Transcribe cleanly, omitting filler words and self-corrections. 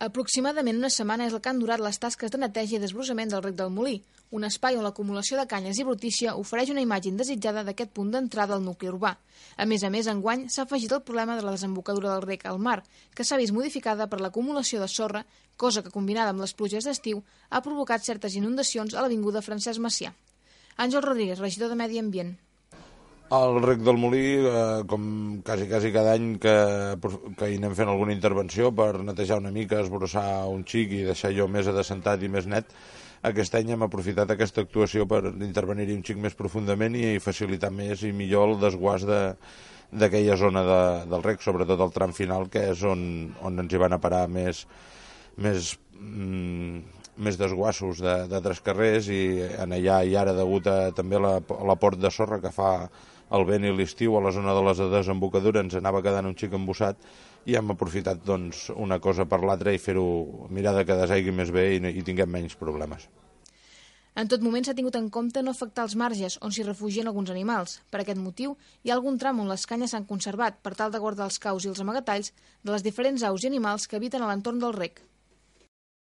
Aproximadament una setmana és el que han durat les tasques de neteja i desbrossament del rec del Molí, un espai on l'acumulació de canyes i brutícia ofereix una imatge indesitjada d'aquest punt d'entrada al nucli urbà. A més, enguany s'ha afegit el problema de la desembocadura del rec al mar, que s'ha vist modificada per l'acumulació de sorra, cosa que, combinada amb les pluges d'estiu, ha provocat certes inundacions a l'avinguda Francesc Macià. Àngel Rodríguez, regidor de Medi Ambient. El rec del Molí, com quasi cada any que hi anem fent alguna intervenció per netejar una mica, esbrossar un xic i deixar allò més adescentat i més net, aquest any hem aprofitat aquesta actuació per intervenir-hi un xic més profundament i facilitar més i millor el desguàs d'aquella zona del rec, sobretot el tram final, que és on ens hi van a parar més desguassos d'altres carrers, i en allà i ara degut a també l'aport de sorra que fa el vent i l'estiu a la zona de les desembocadures ens anava quedant un xic embussat, i hem aprofitat doncs una cosa per l'altra i fer-ho, mirar que desaigui més bé i tinguem menys problemes. En tot moment s'ha tingut en compte no afectar els marges on s'hi refugien alguns animals. Per aquest motiu, hi ha algun tram on les canyes s'han conservat per tal de guardar els caus i els amagatalls de les diferents aus i animals que habiten a l'entorn del rec.